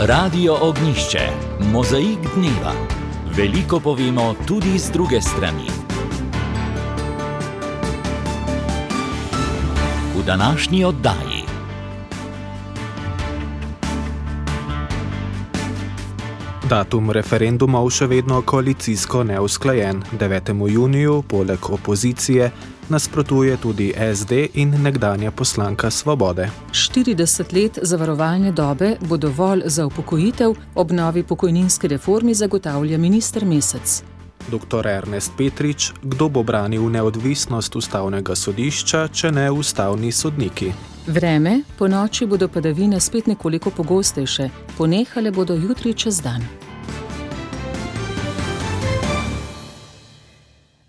Radio Ognjišče, mozaik dneva. Veliko povemo tudi z druge strani. V današnji oddaji. Datum referendumov še vedno koalicijsko neusklajen. 9. juniju poleg opozicije nasprotuje tudi SD in nekdanja poslanka Svobode. 40 let zavarovalne dobe bo dovolj za upokojitev, ob novi pokojninski reformi zagotavlja minister Mesec. Dr. Ernest Petrič, kdo bo branil neodvisnost ustavnega sodišča, če ne ustavni sodniki? Vreme, po noči bodo padavine spet nekoliko pogostejše, ponehale bodo jutri čez dan.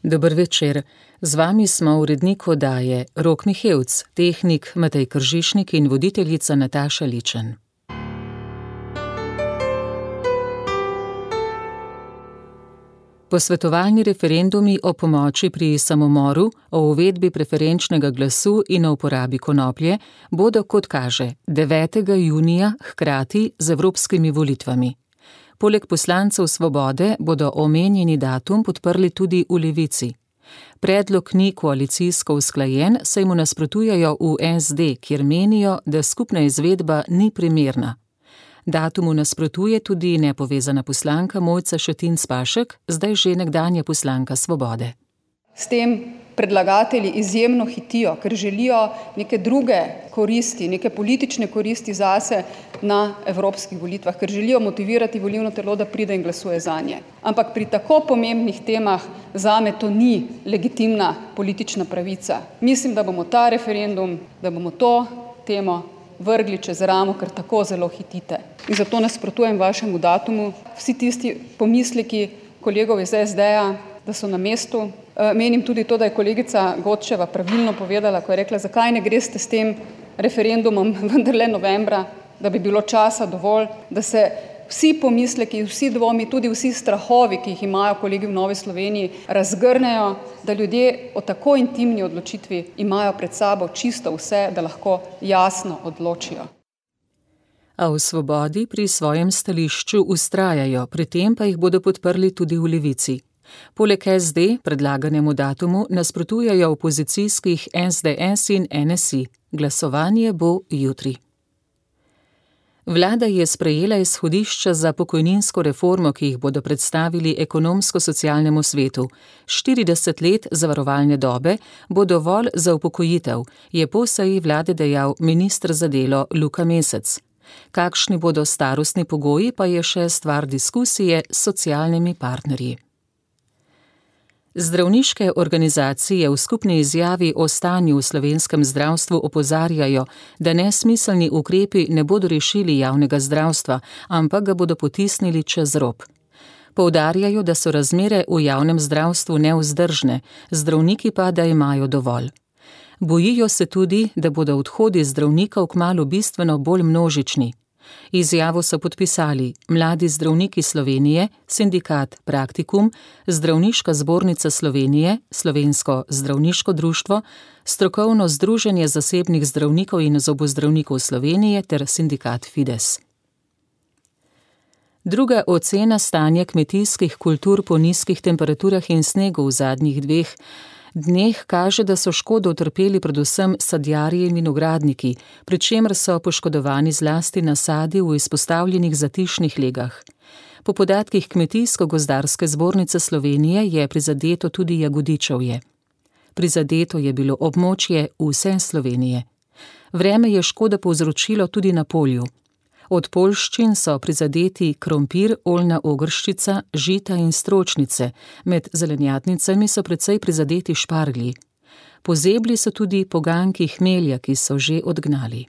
Dober večer. Z vami smo urednik oddaje Rok Mihevc, tehnik Matej Kržišnik in voditeljica Nataša Ličen. Posvetovalni referendumi o pomoči pri samomoru, o uvedbi preferenčnega glasu in o uporabi konoplje bodo, kot kaže, 9. junija hkrati z evropskimi volitvami. Poleg poslancev Svobode bodo omenjeni datum podprli tudi v Levici. Predlog ni koalicijsko usklajen, saj mu nasprotujejo v SD, kjer menijo, da skupna izvedba ni primerna. Datumu nasprotuje tudi nepovezana poslanka Mojca Šetinc Pašek, zdaj že nekdanja poslanka Svobode. S tem predlagatelji izjemno hitijo, ker želijo neke druge koristi, neke politične koristi zase na evropskih volitvah, ker želijo motivirati volilno telo, da pride in glasuje zanje. Ampak pri tako pomembnih temah zame to ni legitimna politična pravica. Mislim, da bomo ta referendum, da bomo to temo vrgli čez ramo, ker tako zelo hitite. In zato nasprotujem vašemu datumu. Vsi tisti pomisleki kolegov iz SD-ja, da so na mestu. Menim tudi to, da je kolegica Godčeva pravilno povedala, ko je rekla, zakaj ne greste s tem referendumom vendarle novembra, da bi bilo časa dovolj, da se vsi pomisleki, vsi dvomi, tudi vsi strahovi, ki jih imajo kolegi v Novi Sloveniji, razgrnejo, da ljudje o tako intimni odločitvi imajo pred sabo čisto vse, da lahko jasno odločijo. A v Svobodi pri svojem stališču vztrajajo, pri tem pa jih bodo podprli tudi v Levici. Poleg SD predlaganemu datumu nasprotujejo opozicijskih SDS in NSI. Glasovanje bo jutri. Vlada je sprejela izhodišča za pokojninsko reformo, ki jih bodo predstavili ekonomsko-socialnemu svetu. 40 let zavarovalne dobe bo dovolj za upokojitev, je po seji vlade dejal minister za delo Luka Mesec. Kakšni bodo starostni pogoji, pa je še stvar diskusije s socialnimi partnerji. Zdravniške organizacije v skupni izjavi o stanju v slovenskem zdravstvu opozarjajo, da nesmiselni ukrepi ne bodo rešili javnega zdravstva, ampak ga bodo potisnili čez rob. Poudarjajo, da so razmere v javnem zdravstvu nevzdržne, zdravniki pa, da imajo dovolj. Bojijo se tudi, da bodo odhodi zdravnikov kmalu bistveno bolj množični. Izjavo so podpisali Mladi zdravniki Slovenije, Sindikat Praktikum, Zdravniška zbornica Slovenije, Slovensko zdravniško društvo, Strokovno združenje zasebnih zdravnikov in zobozdravnikov Slovenije ter Sindikat Fides. Druga ocena stanja kmetijskih kultur po nizkih temperaturah in snegu v zadnjih 2 dneh kaže, da so škodo utrpeli predvsem sadjarji in vinogradniki, pri čemer so poškodovani zlasti nasadi v izpostavljenih zatišnih legah. Po podatkih Kmetijsko-gozdarske zbornice Slovenije je prizadeto tudi Jagodičevje. Prizadeto je bilo območje vse Slovenije. Vreme je škodo povzročilo tudi na polju. Od poljščin so prizadeti krompir, oljna ogrščica, žita in stročnice, med zelenjadnicami so precej prizadeti šparglji. Pozebli so tudi poganjki hmelja, ki so že odgnali.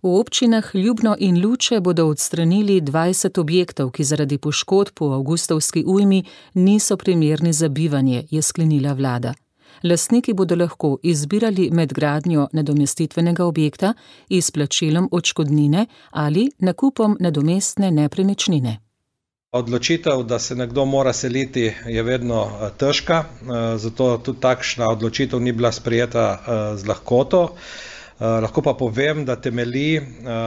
V občinah Ljubno in Luče bodo odstranili 20 objektov, ki zaradi poškodb po avgustovski ujmi niso primerni za bivanje, je sklenila vlada. Lastniki bodo lahko izbirali med gradnjo nadomestitvenega objekta, izplačilom odškodnine ali nakupom nadomestne nepremičnine. Odločitev, da se nekdo mora seliti, je vedno težka, zato tudi takšna odločitev ni bila sprejeta z lahkoto. Lahko pa povem, da temelji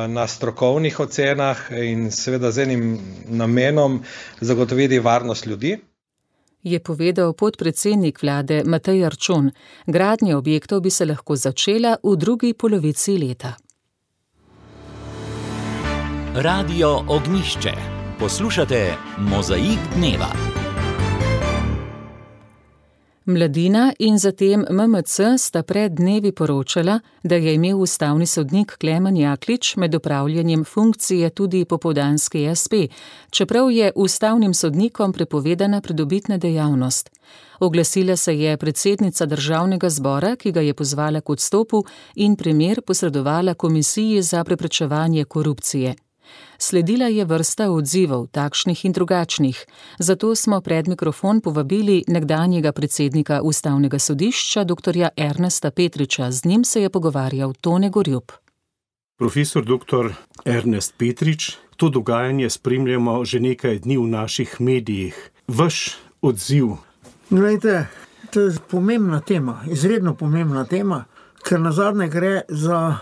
na strokovnih ocenah in seveda z enim namenom zagotoviti varnost ljudi. Je povedal podpredsednik vlade Matej Arčon. Gradnja objektov bi se lahko začela v drugi polovici leta. Radio Ognjišče. Poslušate Mozaik dneva. Mladina in zatem MMC sta pred dnevi poročala, da je imel ustavni sodnik Klemen Jaklič med opravljanjem funkcije tudi popoldanski espe, čeprav je ustavnim sodnikom prepovedana pridobitna dejavnost. Oglasila se je predsednica Državnega zbora, ki ga je pozvala k odstopu in primer posredovala Komisiji za preprečevanje korupcije. Sledila je vrsta odzivov, takšnih in drugačnih, zato smo pred mikrofon povabili nekdanjega predsednika Ustavnega sodišča, dr. Ernesta Petriča. Z njim se je pogovarjal Tone Gorjup. Profesor dr. Ernest Petrič, to dogajanje spremljamo že nekaj dni v naših medijih. Vaš odziv? Glejte, to je pomembna tema, izredno pomembna tema, ker nazadnje gre za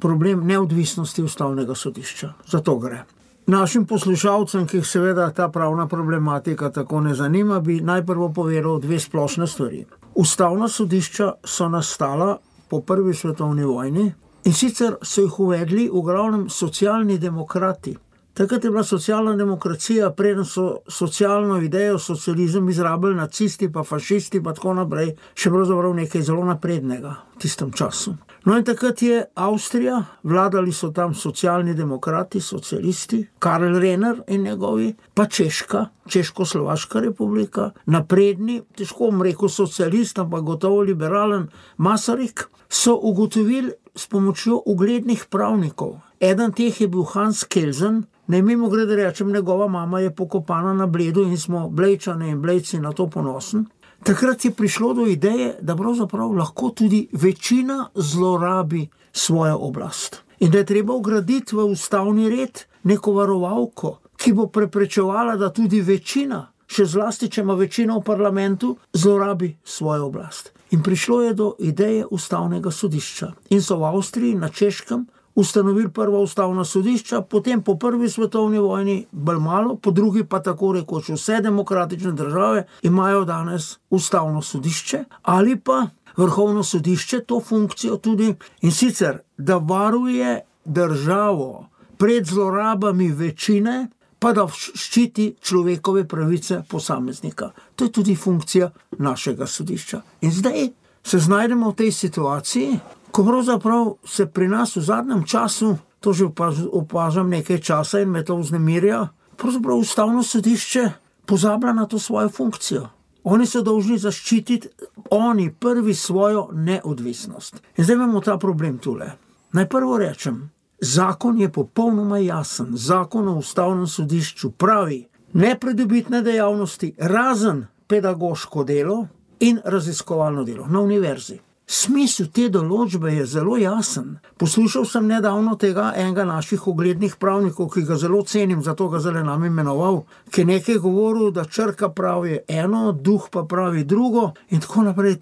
problem neodvisnosti Ustavnega sodišča. Zato gre. Našim poslušalcem, ki jih seveda ta pravna problematika tako ne zanima, bi najprvo povedal dve splošne stvari. Ustavna sodišča so nastala po prvi svetovni vojni in sicer so jih uvedli v glavnem socialni demokrati. Takrat je bila socialna demokracija, preden so socialno idejo, socializem izrabili nacisti, pa fašisti, pa tako naprej, še pravzaprav nekaj zelo naprednega v tistem času. No in takrat je Avstrija, vladali so tam socialni demokrati, socialisti, Karl Renner in njegovi, pa Češka, Češko-Slovaška republika, napredni, težko bom rekel socialist, ampak gotovo liberalen Masaryk, so ugotovili s pomočjo uglednih pravnikov. Eden teh je bil Hans Kelsen. Naj mimogrede rečem, njegova mama je pokopana na Bledu in smo Blejčane in Blejci na to ponosni. Takrat je prišlo do ideje, da pravzaprav lahko tudi večina zlorabi svojo oblast. In da je treba vgraditi v ustavni red neko varovalko, ki bo preprečevala, da tudi večina, še zlasti, če ima večino v parlamentu, zlorabi svojo oblast. In prišlo je do ideje ustavnega sodišča. In so v Avstriji, na Češkem, ustanovili prvo ustavno sodišča, potem po prvi svetovni vojni bolj malo, po drugi pa tako rekoč vse demokratične države imajo danes ustavno sodišče ali pa vrhovno sodišče, to funkcijo tudi, in sicer, da varuje državo pred zlorabami večine, pa da ščiti človekove pravice posameznika. To je tudi funkcija našega sodišča. In zdaj se znajdemo v tej situaciji, ko pravzaprav se pri nas v zadnjem času, to že opažam nekaj časa in me to vznemirja, pravzaprav ustavno sodišče pozablja na to svojo funkcijo. Oni so dolžni zaščititi, oni prvi, svojo neodvisnost. In zdaj imamo ta problem tule. Naj prvo rečem, zakon je popolnoma jasen. Zakon o ustavnem sodišču pravi nepridobitne dejavnosti, razen pedagoško delo in raziskovalno delo na univerzi. Smisel te določbe je zelo jasen. Poslušal sem nedavno tega enega naših uglednih pravnikov, ki ga zelo cenim, zato ga zdaj nam imenoval, ki je nekaj govoril, da črka pravi eno, duh pa pravi drugo in tako naprej.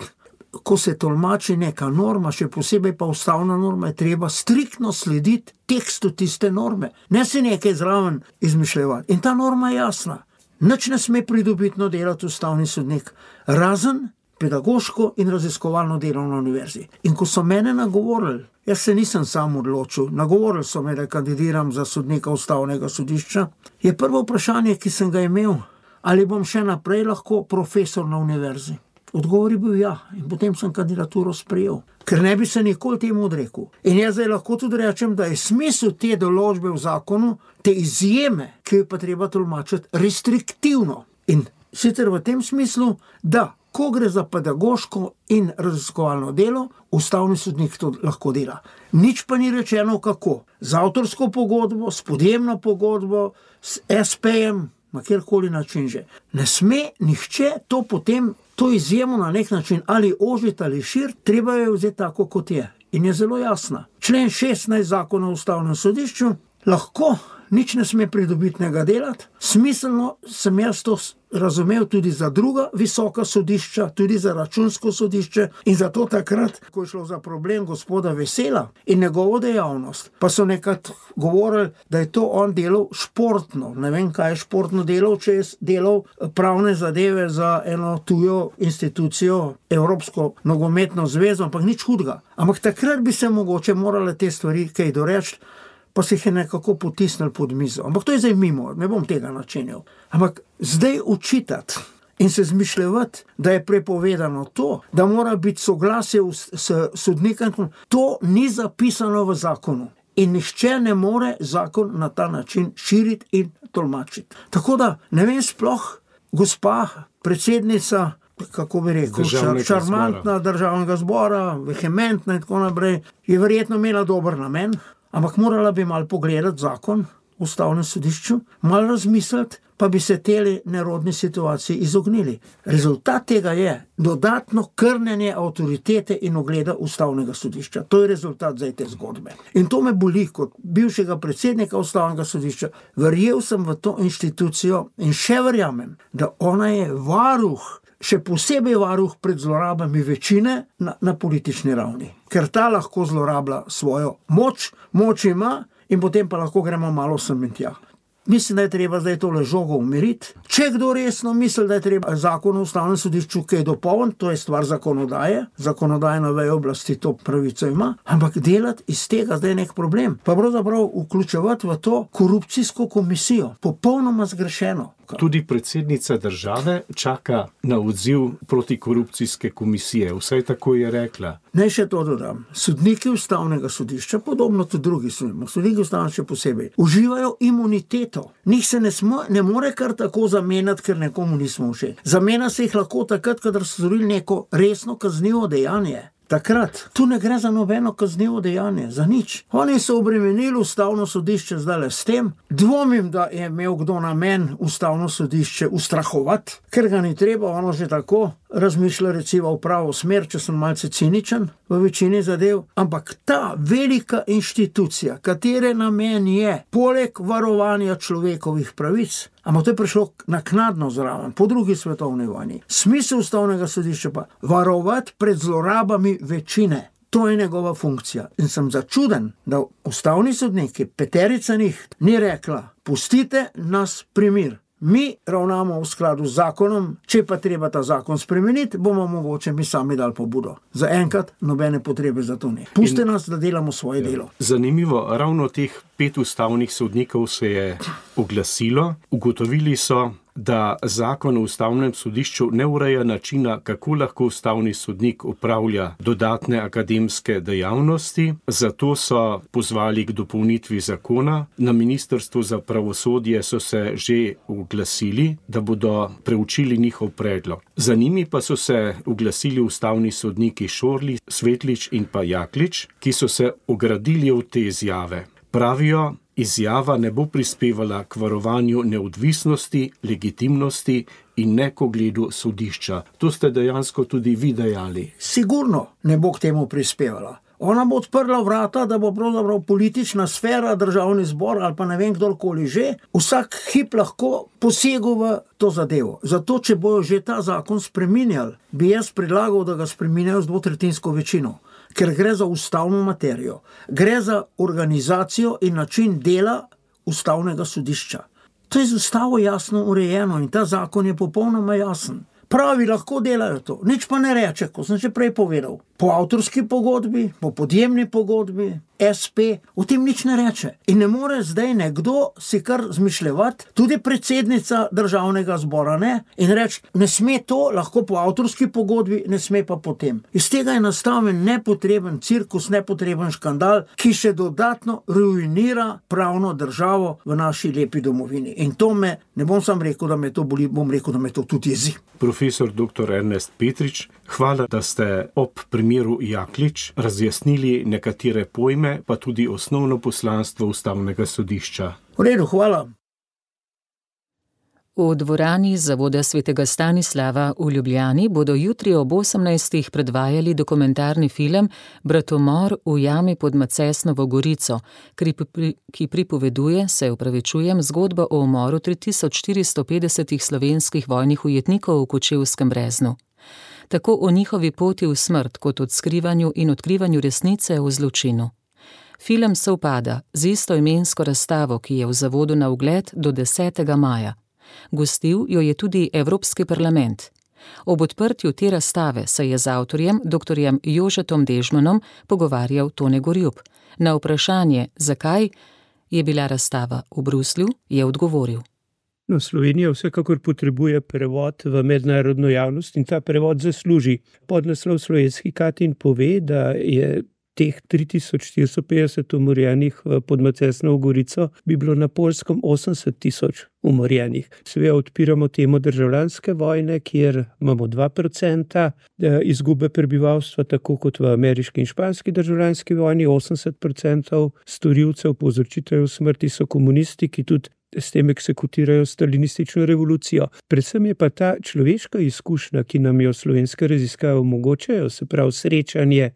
Ko se tolmači neka norma, še posebej pa ustavna norma, je treba striktno slediti tekstu tiste norme. Ne si nekaj zraven izmišljevati. In ta norma je jasna. Nič ne sme pridobitno delati ustavni sodnik, razen pedagoško in raziskovalno delo na univerzi. In ko so mene nagovorili, jaz se nisem sam odločil, nagovorili so me, da kandidiram za sodnika ustavnega sodišča, je prvo vprašanje, ki sem ga imel, ali bom še naprej lahko profesor na univerzi. Odgovor je bil ja, in potem sem kandidaturo sprejel, ker ne bi se nikoli temu odrekel. In jaz zdaj lahko tudi rečem, da je smisel te določbe v zakonu, te izjeme, ki jo pa treba tolmačiti restriktivno. In sicer v tem smislu, da ko gre za pedagoško in raziskovalno delo, ustavni sodnik to lahko dela. Nič pa ni rečeno kako. Z avtorsko pogodbo, s podjemno pogodbo, s SP-jem, na kjerkoli način že. Ne sme nihče to potem, to izjemo na nek način ali ožiti ali širiti, treba je vzeti tako, kot je. In je zelo jasna. Člen 16 zakona o ustavnem sodišču lahko nič ne sme pridobitnega delati. Smiselno sem jaz to razumel tudi za druga visoka sodišča, tudi za računsko sodišče in zato takrat, ko je šlo za problem gospoda Vesela in njegovo dejavnost, pa so nekrat govorili, da je to on delal športno. Ne vem, kaj je športno delal, če je delal pravne zadeve za eno tujo institucijo, Evropsko nogometno zvezo, ampak nič hudega. Ampak takrat bi se mogoče morale te stvari kaj doreči, pa se jih je nekako potisnili pod mizo. Ampak to je zdaj mimo, ne bom tega načenil. Ampak zdaj učitati in se zmišljati, da je prepovedano to, da mora biti soglasje s sodnikom, to ni zapisano v zakonu. In nihče ne more zakon na ta način širiti in tolmačiti. Tako da, ne vem sploh, gospa predsednica, kako bi rekel, šarmantna državnega zbora, vehementna in tako naprej, je verjetno imela dober namen, ampak morala bi malo pogledati zakon v Ustavnem sodišču, malo razmisliti, pa bi se teli nerodni situaciji izognili. Rezultat tega je dodatno krnenje avtoritete in ugleda Ustavnega sodišča. To je rezultat zdaj te zgodbe. In to me boli kot bivšega predsednika Ustavnega sodišča. Verjel sem v to inštitucijo in še verjamem, da ona je varuh, še posebej varuh pred zlorabami večine na politični ravni. Ker ta lahko zlorablja svojo moč ima in potem pa lahko gremo malo sem in tja. Mislim, da je treba zdaj tole žogo umiriti. Če kdo resno misli, da je treba zakon o Ustavnem sodišču kaj dopolniti, to je stvar zakonodaje, zakonodajna veja oblasti to pravico ima, ampak delati iz tega zdaj nek problem. Pa pravzaprav vključevati v to korupcijsko komisijo, popolnoma zgrešeno. Tudi predsednica države čaka na odziv protikorupcijske komisije, vsaj tako je rekla. Naj še to dodam. Sodniki Ustavnega sodišča, podobno tudi drugi sodniki Ustavnega še posebej, uživajo imuniteto. Njih se ne more kar tako zamenjati, ker nekomu nismo všeč. Zamenja se jih lahko takrat, kadar so storili neko resno kaznivo dejanje. Takrat. Tu ne gre za nobeno kaznivo dejanje, za nič. Oni so obremenili Ustavno sodišče zdaj s tem. Dvomim, da je imel kdo namen Ustavno sodišče ustrahovati, ker ga ni treba, ono že tako razmišlja recimo v pravo smer, če sem malce ciničen v večini zadev. Ampak ta velika inštitucija, katere namen je, poleg varovanja človekovih pravic, ampak to je prišlo naknadno zraven, po drugi svetovni vojni. Smisel Ustavnega sodišča pa varovati pred zlorabami večine. To je njegova funkcija. In sem začuden, da ustavni sodniki, peterica njih, ni rekla, pustite nas pri miru. Mi ravnamo v skladu z zakonom, če pa treba ta zakon spremeniti, bomo mogoče mi sami dali pobudo. Za enkrat nobene potrebe za to ne. Puste nas, da delamo svoje delo. Zanimivo, ravno teh 5 ustavnih sodnikov se je oglasilo. Ugotovili so, da zakon o Ustavnem sodišču ne ureja načina, kako lahko ustavni sodnik opravlja dodatne akademske dejavnosti. Zato so pozvali k dopolnitvi zakona. Na Ministrstvu za pravosodje so se že oglasili, da bodo preučili njihov predlog. Za njimi pa so se oglasili ustavni sodniki Šorli, Svetlič in pa Jaklič, ki so se ogradili od te izjave. Pravijo, izjava ne bo prispevala k varovanju neodvisnosti, legitimnosti in ne k ugledu sodišča. To ste dejansko tudi vi dejali. Sigurno ne bo k temu prispevala. Ona bo odprla vrata, da bo pravzaprav politična sfera, državni zbor ali pa ne vem kdorkoli že, vsak hip lahko posegel v to zadevo. Zato, če bojo že ta zakon spreminjali, bi jaz predlagal, da ga spreminjajo z 2/3 večino. Ker gre za ustavno materijo. Gre za organizacijo in način dela Ustavnega sodišča. To je z ustavo jasno urejeno in ta zakon je popolnoma jasen. Pravi, lahko delajo to. Nič pa ne reče, kot sem že prej povedal. Po avtorski pogodbi, po podjemni pogodbi, SP, o tem nič ne reče. In ne more zdaj nekdo si kar zmišljevati, tudi predsednica državnega zbora ne, in reči, ne sme to, lahko po avtorski pogodbi, ne sme pa potem. Iz tega je nastavljen nepotreben cirkus, nepotreben škandal, ki še dodatno ruinira pravno državo v naši lepi domovini. In to me, ne bom sam rekel, da me to boli, bom rekel, da me to tudi jezi. Profesor dr. Ernest Petrič, hvala, da ste ob primeru Jaklič razjasnili nekatere pojme, pa tudi osnovno poslanstvo Ustavnega sodišča. V redu, hvala. V dvorani Zavoda svetega Stanislava v Ljubljani bodo jutri ob 18. predvajali dokumentarni film Bratomor v jami pod Macesnovo Gorico, ki pripoveduje, zgodbo o umoru 3450 slovenskih vojnih ujetnikov v Kočevskem Breznu. Tako o njihovi poti v smrt kot odkrivanju in odkrivanju resnice o zločinu. Film sovpada z istoimensko razstavo, ki je v zavodu na ogled do 10. maja. Gostil jo je tudi Evropski parlament. Ob odprtju te razstave se je z avtorjem, dr. Jožetom Dežmanom, pogovarjal Tone Gorjup. Na vprašanje, zakaj je bila razstava v Bruslju, je odgovoril. Slovenija vsekakor potrebuje prevod v mednarodno javnost in ta prevod zasluži. Podnaslov Slovenski Katin pove, da je teh 3450 umorjenih pod Macesnovo Gorico bi bilo na Poljskem 80 000 umorjenih. Seveda odpiramo temo državljanske vojne, kjer imamo 2% izgube prebivalstva, tako kot v ameriški in španski državljanski vojni, 80% storilcev povzročiteljev smrti so komunisti, ki tudi s tem eksekutirajo stalinistično revolucijo. Predvsem je pa ta človeška izkušnja, ki nam jo slovenske raziskave omogočajo, se pravi srečanje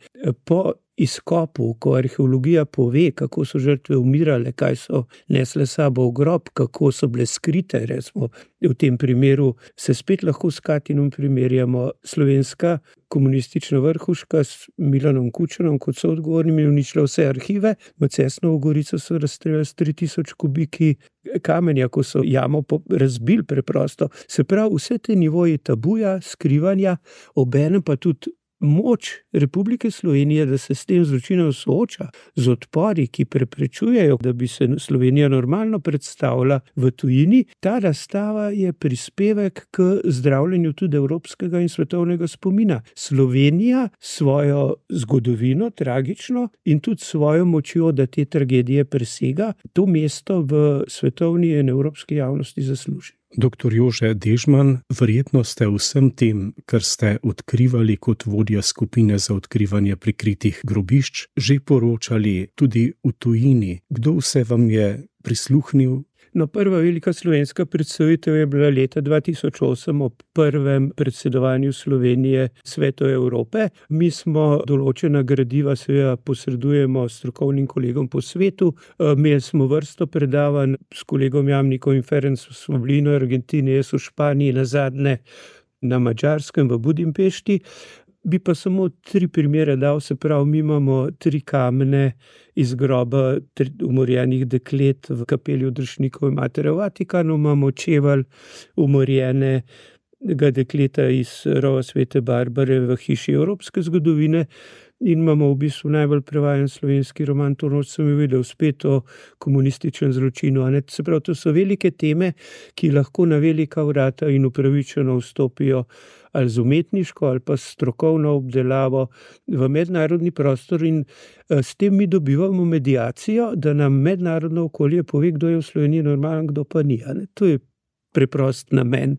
po izkopu, ko arheologija pove, kako so žrtve umirale, kaj so nesle sabo v grob, kako so bile skrite, recimo v tem primeru se spet lahko s Katinom primerjamo. Slovenska komunistična vrhuška s Milanom Kučanom kot soodgovornim je uničila vse arhive, Macesnovo Gorico so razstreljali s 3000 kubiki kamenja, ko so jamo razbili preprosto. Se pravi, vse te nivoji tabuja, skrivanja, obenem pa tudi moč Republike Slovenije, da se s tem zločinom sooča, z odpori, ki preprečujejo, da bi se Slovenija normalno predstavila v tujini. Ta razstava je prispevek k zdravljenju tudi evropskega in svetovnega spomina. Slovenija svojo zgodovino, tragično, in tudi svojo močjo, da te tragedije presega, to mesto v svetovni in evropski javnosti zasluži. Dr. Jože Dežman, verjetno ste vsem tem, kar ste odkrivali kot vodja skupine za odkrivanje prikritih grobišč, že poročali tudi v tujini. Kdo vse vam je prisluhnil? Prva velika slovenska predstavitev je bila leta 2008 ob prvem predsedovanju Slovenije Svetu Evrope. Mi smo določena gradiva seveda posredujemo strokovnim kolegom po svetu. Imeli smo vrsto predavanj s kolegom Jamnikom in Ferencem, smo bili v Argentini, jaz v Španiji, nazadnje na Madžarskem v Budimpešti. Bi pa samo 3 primere dal, se pravi, mi imamo 3 kamne iz groba umorjenih deklet v kapeli Odrešnikove matere v Vatikanu, imamo čevelj umorjenega dekleta iz rova Svete Barbare v hiši evropske zgodovine in imamo v bistvu najbolj prevajan slovenski roman, to noč sem videl, spet o komunističnem zločinu. Se pravi, to so velike teme, ki lahko na velika vrata in upravičeno vstopijo ali z umetniško ali pa strokovno obdelavo v mednarodni prostor in s tem mi dobivamo mediacijo, da nam mednarodno okolje pove, kdo je v Sloveniji normalen, kdo pa ni. To je preprost namen,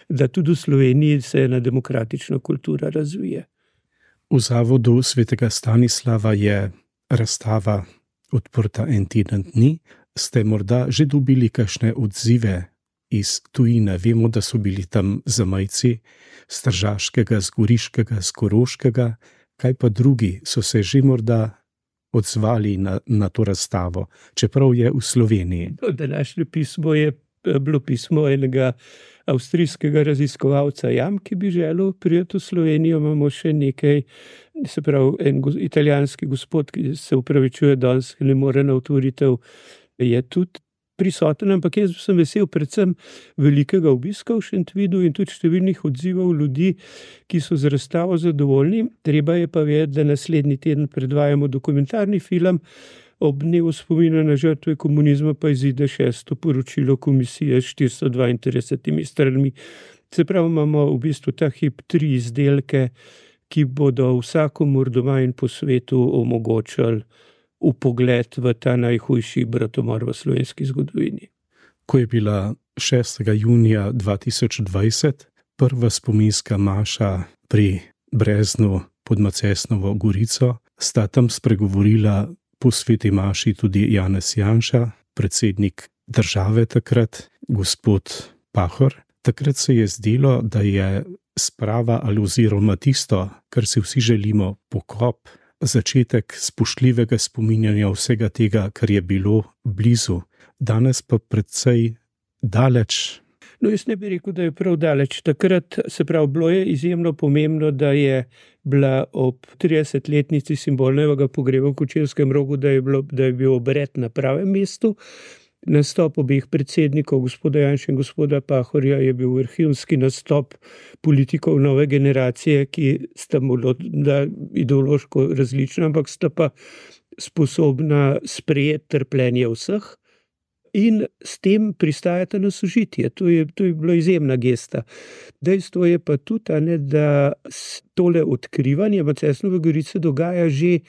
da tudi v Sloveniji se ena demokratična kultura razvije. V Zavodu svetega Stanislava je razstava odprta en teden dni. Ste morda že dobili kakšne odzive iz tujine? Vemo, da so bili tam zamejci z Tržaškega, z Goriškega, z Koroškega. Kaj pa drugi so se že morda odzvali na to razstavo, čeprav je v Sloveniji? Današnje pismo je bilo pismo enega avstrijskega raziskovalca jam, ki bi želel priti v Slovenijo. Imamo še nekaj, se pravi, en italijanski gospod, ki se upravičuje danes, ki ne more na otvoritev, je tudi prisoten, ampak jaz sem vesel predvsem velikega obiska v Šentvidu in tudi številnih odzivov ljudi, ki so z razstavo zadovoljni. Treba je pa vedeti, da naslednji teden predvajamo dokumentarni film, ob dnevu spomina na žrtve komunizma pa izide 6. poročilo komisije s 432 stranmi. Se pravi, imamo v bistvu ta hip 3 izdelke, ki bodo vsakomur doma in po svetu omogočali vpogled v ta najhujši bratomor v slovenski zgodovini. Ko je bila 6. junija 2020 prva spominska maša pri Breznu pod Macesnovo Gorico, sta tam spregovorila po sveti maši tudi Janez Janša, predsednik države takrat, gospod Pahor. Takrat se je zdelo, da je sprava ali oziroma tisto, kar si vsi želimo, pokop, začetek spoštljivega spominjanja vsega tega, kar je bilo blizu. Danes pa precej daleč. No, jaz ne bi rekel, da je prav daleč. Takrat, se pravi, bilo je izjemno pomembno, da je bila ob 30-letnici simbolnega pogreba v Kočevskem Rogu, da je bil obred na pravem mestu. Nastop obeh predsednikov, gospoda Janše in gospoda Pahorja, je bil vrhunski nastop politikov nove generacije, ki sta morda ideološko različna, ampak sta pa sposobna sprejeti trpljenje vseh in s tem pristajata na sožitje. To je bila izjemna gesta. Dejstvo je pa tudi, da tole odkrivanje Macesnove Gorice dogaja že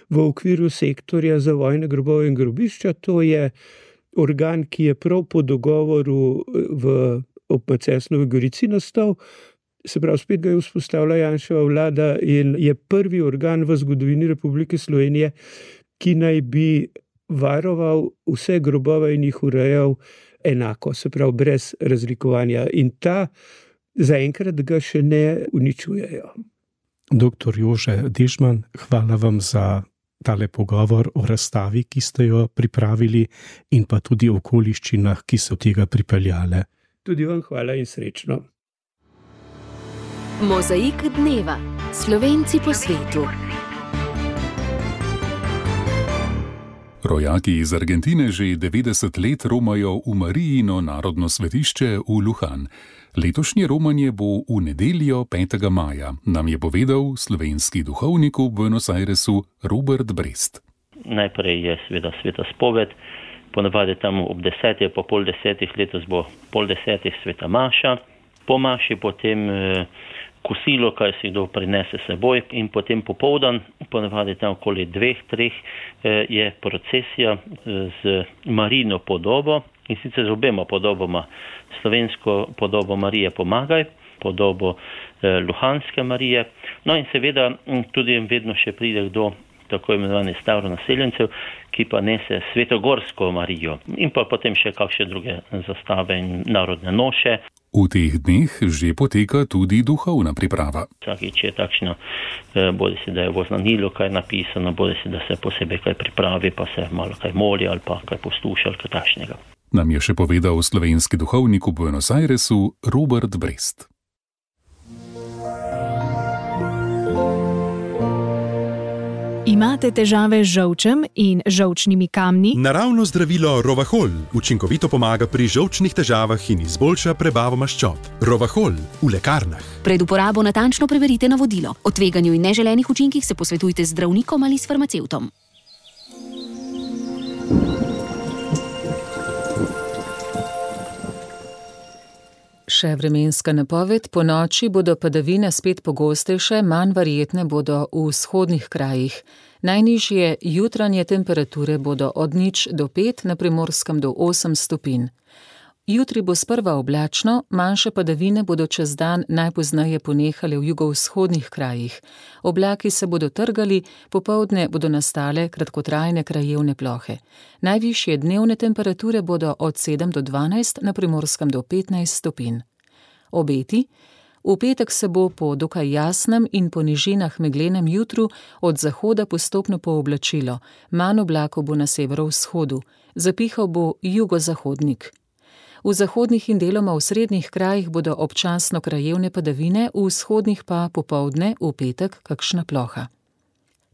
v okviru sektorja za vojne grobove in grobišča. To je organ, ki je prav po dogovoru ob Macesnovi Gorici nastal. Se pravi, spet ga je vzpostavila Janševa vlada in je prvi organ v zgodovini Republike Slovenije, ki naj bi varoval vse grobove in jih urejal enako, se pravi, brez razlikovanja. In ta zaenkrat ga še ne uničujejo. Doktor Jože Dežman, hvala vam za tale pogovor o razstavi, ki ste jo pripravili, in pa tudi o okoliščinah, ki so tega pripeljale. Tudi vam hvala in srečno. Mozaik dneva. Slovenci po svetu. Rojaki iz Argentine že 90 let romajo v Marijino narodno svetišče v Luján. Letošnje romanje bo v nedeljo 5. maja, nam je povedal slovenski duhovnik v Buenos Airesu Robert Brest. Najprej je seveda sveta spoved, ponavadi tam ob 10, po pol 10, letos bo pol 10 sveta maša, po maši potem kosilo, kaj si kdo prinese seboj, in potem popoldan, ponavadi tam okoli 2-3, je procesija z Marijino podobo, in sicer z obema podobama, slovensko podobo Marije Pomagaj, podobo Luhanske Marije, no in seveda tudi vedno še pride kdo tako imenovani staronaseljencev, ki pa nese Svetogorsko Marijo, in pa potem še kakšne druge zastave in narodne noše. V teh dneh že poteka tudi duhovna priprava. Vsakič je takšno, bodi si, da je v oznanilu kaj napisano, bodi si, da se posebej kaj pripravi, pa se malo kaj moli ali pa kaj posluša ali kaj takšnega. Nam je še povedal slovenski duhovnik v Buenos Airesu Robert Brest. Imate težave z žolčem in žolčnimi kamni? Naravno zdravilo Rovahol učinkovito pomaga pri žolčnih težavah in izboljša prebavo maščob. Rovahol v lekarnah. Pred uporabo natančno preverite navodilo. O tveganju in neželenih učinkih se posvetujte z zdravnikom ali s farmacevtom. Še vremenska napoved. Po noči bodo padavine spet pogostejše, manj verjetne bodo v vzhodnih krajih. Najnižje jutranje temperature bodo od 0 do 5, na Primorskem do 8 stopinj. Jutri bo sprva oblačno, manjše padavine bodo čez dan najpozneje ponehale v jugovzhodnih krajih. Oblaki se bodo trgali, popoldne bodo nastale kratkotrajne krajevne plohe. Najvišje dnevne temperature bodo od 7 do 12, na Primorskem do 15 stopinj. Obeti. V petek se bo po dokaj jasnem in po nižinah meglenem jutru od zahoda postopno pooblačilo, manj oblakov bo na severovzhodu, zapihal bo jugozahodnik. V zahodnih in deloma v srednjih krajih bodo občasno krajevne padavine, v vzhodnih pa popoldne v petek kakšna ploha.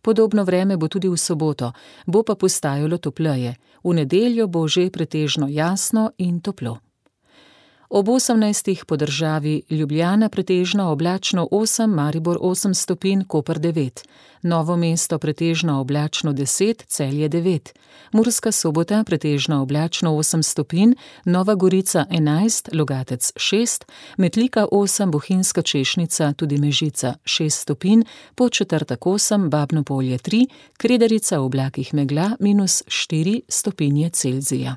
Podobno vreme bo tudi v soboto, bo pa postajalo topleje. V nedeljo bo že pretežno jasno in toplo. Ob 18. po državi Ljubljana pretežno oblačno 8, Maribor 8 stopinj, Koper 9. Novo mesto pretežno oblačno 10, Celje 9. Murska Sobota pretežno oblačno 8 stopinj, Nova Gorica 11, Logatec 6, Metlika 8, Bohinjska Češnica, tudi Mežica 6 stopinj, Podčetrtek 8, Babno Polje 3, Kredarica v oblakih megla -4 stopinje Celzija.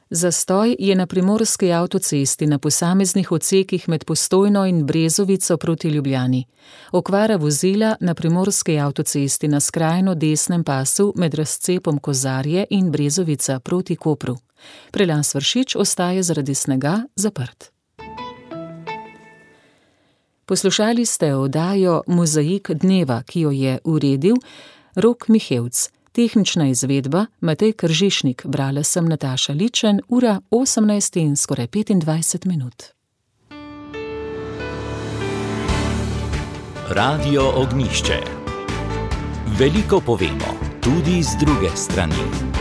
Zastoj je na primorski avtocesti na posameznih odsekih med Postojno in Brezovico proti Ljubljani. Okvara vozila na primorski avtocesti na skrajno desnem pasu med razcepom Kozarje in Brezovica proti Kopru. Prelas Vršič ostaja zaradi snega zaprt. Poslušali ste oddajo Mozaik dneva, ki jo je uredil Rok Mihevc. Tehnična izvedba Matej Kržišnik, brala sem Nataša Ličen, ura 18 in skoraj 25 minut. Radio Ognjišče. Veliko povemo, tudi z druge strani.